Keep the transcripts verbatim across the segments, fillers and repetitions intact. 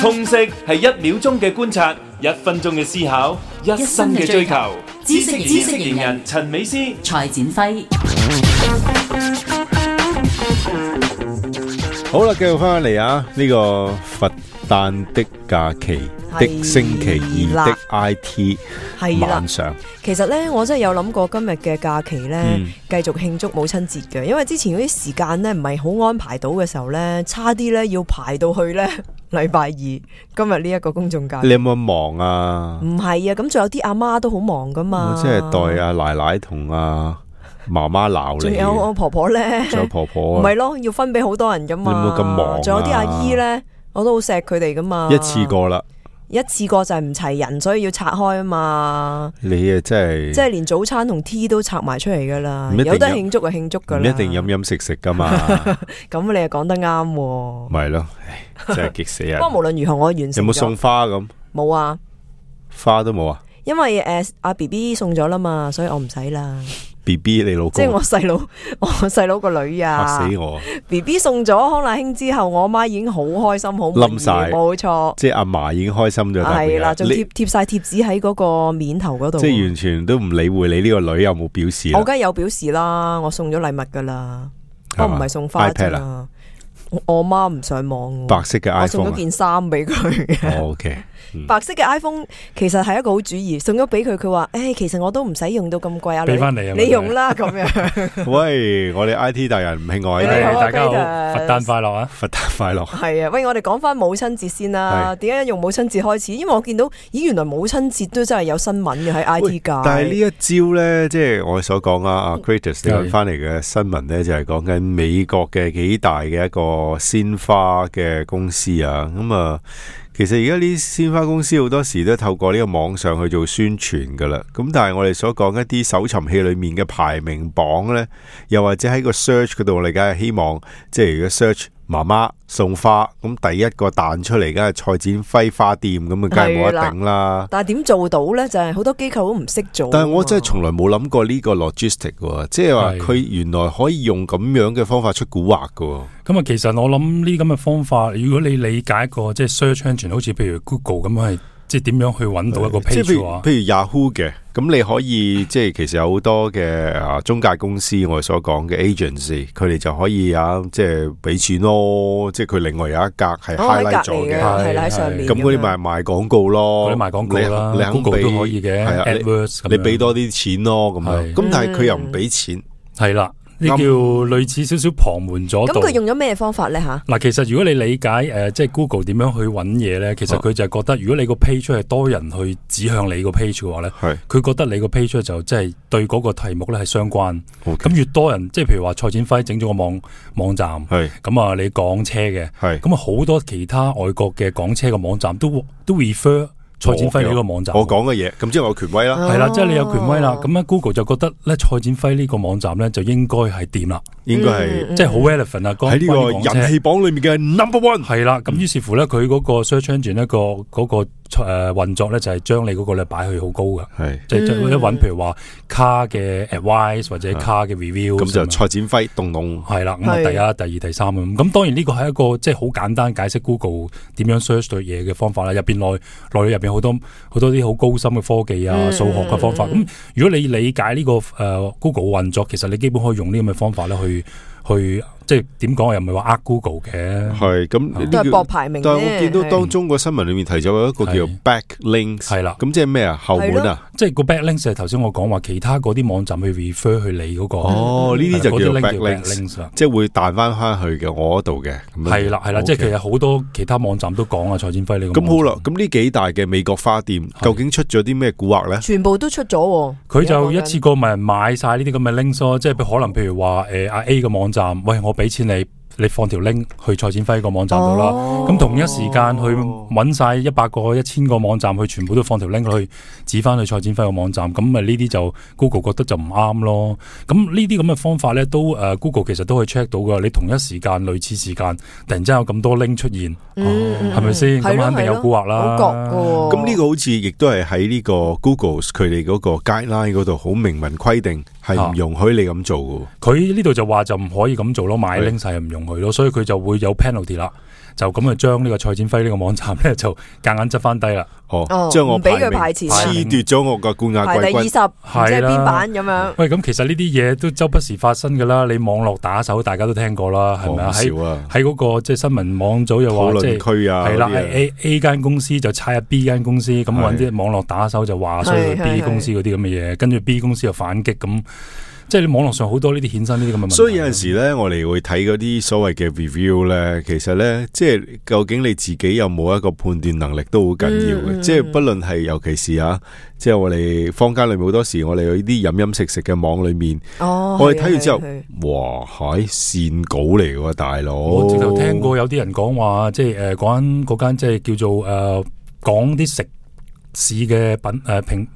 通識係一秒鐘嘅觀察，一分鐘嘅思考，一生嘅追求。知識知識型人陳美詩、蔡展輝。好啦，繼續翻嚟啊！呢、這個佛誕的假期的星期二的 I T 晚上，其實呢，我真係有諗過今日嘅假期呢，嗯、繼續慶祝母親節嘅，因為之前嗰啲時間呢，唔係好安排到嘅時候呢，差啲呢要排到去呢禮拜二，今日呢一個公眾假期。你有冇忙啊？唔係啊，咁仲有啲阿媽都好忙噶嘛。我即係代阿奶奶同阿媽媽鬧你。仲有我婆婆呢，仲有婆婆、啊，唔係咯，要分俾好多人噶嘛。你冇咁忙啊？仲有啲阿姨呢，我都好錫佢哋噶嘛。一次過啦。一次過就係唔齊人，所以要拆開啊嘛。你啊真係，即係連早餐同 tea 都拆埋出嚟噶啦，有得慶祝就慶祝噶啦，唔一定飲飲食食噶嘛。咁你又講得啱，咪咯，真係激死人。不過無論如何，我完成咗。有冇送花咁？冇啊，花都冇啊。因為誒阿 B B 送咗啦嘛，所以我唔使啦。B B 你老公，即係我細佬，我細佬個女啊！嚇死我 ！B B 送咗康乃馨之後，我阿媽已經好開心，好冧晒，冇錯。即係阿嫲已經開心咗。係啦，仲貼貼晒貼紙喺嗰個面頭嗰度。即係完全都唔理會你呢個女有冇表示。我梗係有表示啦，我送咗禮物噶啦，我唔係送花啫嘛。我媽唔上網，白色嘅 iPhone， 我送咗件衫俾佢嘅。O K，白色嘅 iPhone 其實係一個好主意，送咗俾佢，佢話誒，其實我都唔使用到咁貴啊，俾翻你啊，你用啦咁樣。喂，我哋 I T 大人唔興我，大家好，佛誕快樂啊！佛誕快樂。係啊，喂，我哋講翻母親節先啦。點解用母親節開始？因為我見到咦，原來母親節都真係有新聞嘅喺 I T 界。但係呢一招咧，即係我所講啊，阿 Kratos 揾翻嚟嘅新聞咧，就係講緊美國嘅幾大嘅一個鮮花嘅公司啊，咁啊，其實而家呢啲鮮花公司好多時都透過呢個網上去做宣傳噶啦，咁但係我哋所講一啲搜尋器裏面嘅排名榜呢，又或者喺個 search 嗰度，我哋梗係希望即係如果 search 媽媽送花，咁第一個彈出嚟梗係蔡展輝花店，咁啊梗係冇得頂啦。但係點做到呢？就係、是、好多機構都唔識做。但係我真係從來冇諗過呢個 logistic 喎，即係話佢原來可以用咁樣嘅方法出蠱惑㗎。咁啊，其實我諗呢咁嘅方法，如果你理解一個即係 search engine，好似譬如 Google 咁樣係。即係點樣去揾到一個 page 嘅話？譬如 Yahoo 嘅，咁你可以即係其實有好多嘅啊中介公司，我哋所講嘅 agency， 佢哋就可以啊，即係俾錢咯。即係佢另外有一格係 highlight 咗嘅，係啦喺上面。咁嗰啲咪賣廣告咯，嗰啲賣廣告啦，你肯 Google 都可以嘅。係啊 AdWords 你俾多啲錢咯，咁樣。咁但係佢又唔俾錢，係啦。呢叫類似少少旁門左道。咁佢用咗咩方法咧吓？嗱，其實如果你理解誒、呃，即係 Google 點樣去揾嘢咧，其實佢就係覺得，如果你個 page 係多人去指向你個 page 嘅話咧，佢覺得你個 page 就即係對嗰個題目咧係相關。咁、okay. 越多人，即係譬如話蔡展輝整咗個網網站，咁啊你講車嘅，咁啊好多其他外國嘅講車嘅網站都都 refer。蔡展輝呢個網站，我講嘅嘢，咁即係我有權威啦，係啦，即係你有權威啦。咁咧 Google 就覺得咧蔡展輝呢個網站咧就應該係掂啦，應該係即係好 relevant 啊。喺呢個人氣榜裏面嘅 number one 係啦。咁於是乎咧，佢嗰個 search engine 咧個嗰個誒運作咧就係將你嗰個咧擺去好高噶，係即係一搵譬如話 car 嘅 advice 或者 car 嘅 review，咁就蔡展輝動動係啦。咁啊第一、第二、第三咁。咁當然呢個係一個即係好簡單解釋 Google 點樣 search 對嘢嘅方法啦。入邊內內入邊好多好多啲好高深嘅科技啊、數學嘅方法。咁、嗯、如果你理解呢、這個誒、呃、Google 運作，其實你基本可以用呢咁嘅方法咧去去。即係點講？又唔係話呃 Google 嘅，係咁都係博排名。但係我見到當中個新聞裏面提咗一個叫 backlinks，係啦，咁即係咩啊？後門啊？即係個 backlinks 係頭先我講話其他嗰啲網站去 refer 去你嗰個。哦，呢啲就叫 backlinks， backlinks 即係會彈翻翻去嘅我嗰度嘅。係啦係啦，即係其實好多其他網站都講啊，蔡展輝呢個。咁好啦，咁呢幾大嘅美國花店究竟出咗啲咩蠱惑咧？全部都出咗，佢就一次過咪買晒呢啲咁嘅 links 咯，即係可能譬如話誒阿 A 嘅網站，喂我俾錢你。你放條 link 去蔡展輝個網站度啦，咁、哦、同一時間去揾晒一百個、一千個網站，去全部都放條 link 去指翻去蔡展輝個網站，咁咪呢啲就 Google 覺得就唔啱咯。咁呢啲咁嘅方法咧，都誒、呃、Google 其實都可以 check 到噶。你同一時間類似時間，突然之間有咁多 link 出現，係咪先？咁肯定有蠱惑啦。咁呢個好似亦都係喺呢個 Google 佢哋嗰個 guideline 嗰度好明文規定，係唔容許你咁做噶。佢呢度就話就唔可以咁做咯，買 link 晒係唔容佢咯，所以佢就會有 penalty 啦。就咁啊，將呢個蔡展輝呢個網站咧就夾硬執翻低啦。哦，將我唔俾佢排前，褫奪咗我個冠亞季軍，排第二十，即係邊版咁樣。喂，咁其實呢啲嘢都周不時發生噶啦。你網絡打手大家都聽過啦，係咪啊？喺喺嗰個即係新聞網組又話即係區啊，係啦 ，A A 間公司就猜下 B 間公司，咁揾啲網絡打手就話衰佢 B 公司嗰啲咁嘅嘢，跟住 B 公司又反擊咁。即係你網絡上好多呢啲衍生呢啲咁嘅問題，所以有陣時咧，我哋會睇嗰啲所謂嘅 review 咧，其實咧，即係究竟你自己有冇一個判斷能力都好緊要嘅。嗯、即係不論係尤其是啊，即係我哋坊間裏面好多時，我哋去啲飲飲食食嘅網裏面，哦、我哋睇完之後，哇，係線稿嚟喎，大佬！我直頭聽過有啲人講話，即係誒講緊嗰間即係叫做誒講啲食肆嘅品誒評。呃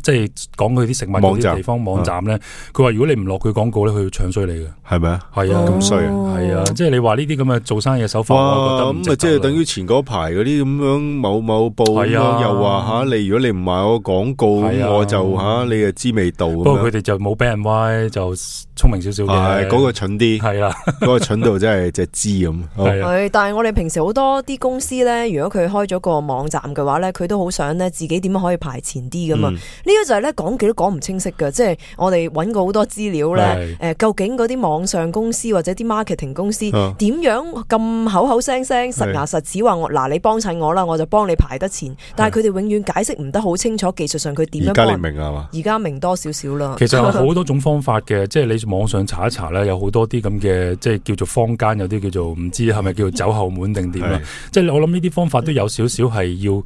即係講佢啲食物嗰啲地方網站咧，佢話如果你唔落佢廣告咧，佢要搶衰你嘅，係咪啊？係啊，咁衰啊，係啊，即係你話呢啲咁嘅做生意嘅手法，我覺得咁啊，即係等於前嗰排嗰啲咁樣某某報咁樣，又話吓你，如果你唔賣我廣告，我就吓你就知味道。不過佢哋就冇俾人歪，就聰明少少嘅。嗰個蠢啲，係啦，嗰個蠢到真係隻知咁。係，但係我哋平時好多啲公司咧，如果佢開咗個網站嘅話咧，佢都好想咧自己點樣可以排前啲噶嘛。呢個就係咧講極都講唔清晰嘅，即係我哋揾過好多資料咧。誒，究竟嗰啲網上公司或者啲 marketing 公司點樣咁口口聲聲實牙實齒話我嗱你幫襯我啦，我就幫你排得前。但係佢哋永遠解釋唔得好清楚，技術上佢點樣幫？而家你明係嘛？而家明多少少啦。其實有好多種方法嘅，即係你網上查一查咧，有好多啲咁嘅，即係叫做坊間有啲叫做唔知係咪叫做走後門定點啦。即係我諗呢啲方法都有少少係要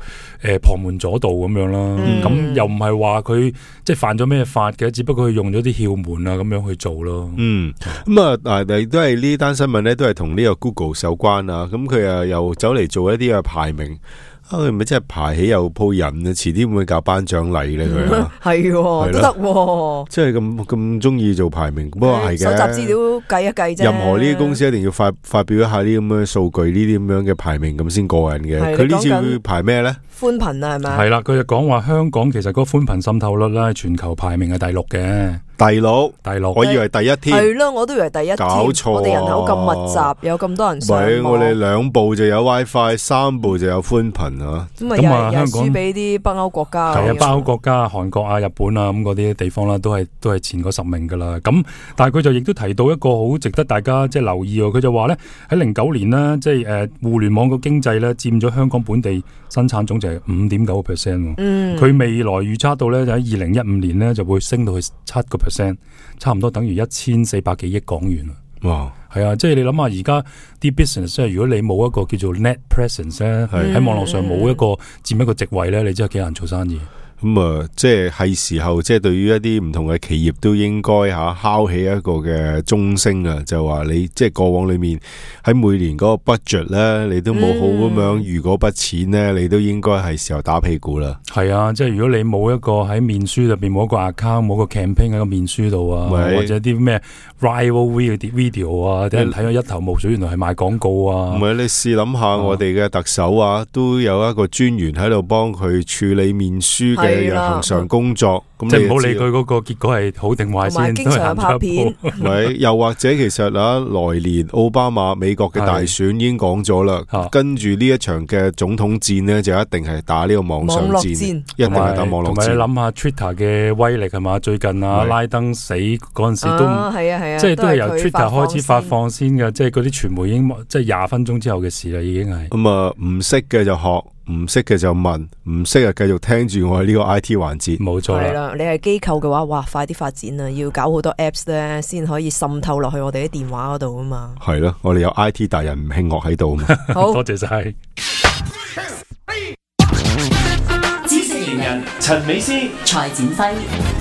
誒旁門左道咁樣啦。咁、嗯、又唔係話佢即係犯咗咩法嘅，只不過佢用咗啲竅門啊咁樣去做咯。嗯，咁啊，嗱，都係呢單新聞咧，都係同呢個 Google 有關啊。咁佢啊又走嚟做一啲嘅排名。啊！佢咪真係排起有鋪癮啊！遲啲會唔會搞頒獎禮咧？佢啊，係都得，即係咁咁中意做排名。不過係嘅，搜集資料計一計啫。任何呢啲公司一定要發發表一下呢啲咁嘅數據，呢啲咁樣嘅排名咁先過癮嘅。佢呢次會排咩咧？寬頻啊，係咪？係啦，佢就講話香港其實嗰個寬頻滲透率咧，全球排名係第六嘅。第六，第六，我以為第一添。係咯，我都以為第一。搞錯，我哋人口咁密集，有咁多人上網。唔係，我哋兩部就有 WiFi， 三部就有寬頻啊。咁啊，香港輸俾啲北歐國家。係啊，北歐國家、韓國啊、日本啊咁嗰啲地方啦，都係都係前嗰十名噶啦。咁但係佢就亦都提到一個好值得大家即係留意喎。佢就話咧喺零九年呢，即係誒互聯網個經濟咧佔咗香港本地生產總值係五點九個 percent。嗯，佢未來預測到咧就喺二零一五年呢就會升到去七個 percent，差唔多等於一千四百幾億港元。哇，係啊，即係你諗下而家啲 business 即係如果你冇一個叫做 net presence 咧，喺網絡上冇一個佔一個席位咧，你真係幾難做生意。咁啊、嗯，即係係時候，即係對於一啲唔同嘅企業都應該吓敲起一個嘅鐘聲啊！就話你即係過往裏面喺每年嗰個 budget 咧，你都冇好咁樣預嗰筆錢咧，你都應該係時候打屁股啦。係啊，即係如果你冇一個喺面書入邊冇一個 account， 冇個 campaign 喺個面書度啊，或者啲咩 rivalry 啲 video 啊，啲人睇咗一頭霧水，原來係賣廣告啊。唔係，你試諗下，我哋嘅特首啊，都有一個專員喺度幫佢處理面書嘅日常上工作，咁即係唔好理佢嗰個結果係好定壞先，經常拍片。咪又或者其實啊，來年奧巴馬美國嘅大選已經講咗啦，跟住呢一場嘅總統戰呢，就一定係打呢個網上戰，戰一定係打網絡戰。同埋你諗下 Twitter 嘅威力係嘛？最近啊，拉登死嗰陣時都，啊係啊係啊，即係都係由 Twitter 開始發放先嘅，即係嗰啲傳媒已經即係廿分鐘之後嘅事啦，已經係。咁啊，唔識嘅就學。唔識嘅就問，唔識啊繼續聽住我呢個 I T 環節。冇錯啦，你係機構嘅話，哇，快啲發展啊！要搞好多 apps 咧，先可以滲透落去我哋啲電話嗰度啊嘛。係咯，我哋有 I T 大人吳慶岳喺度嘛。好，多謝晒。知識型人陳美詩、蔡展輝。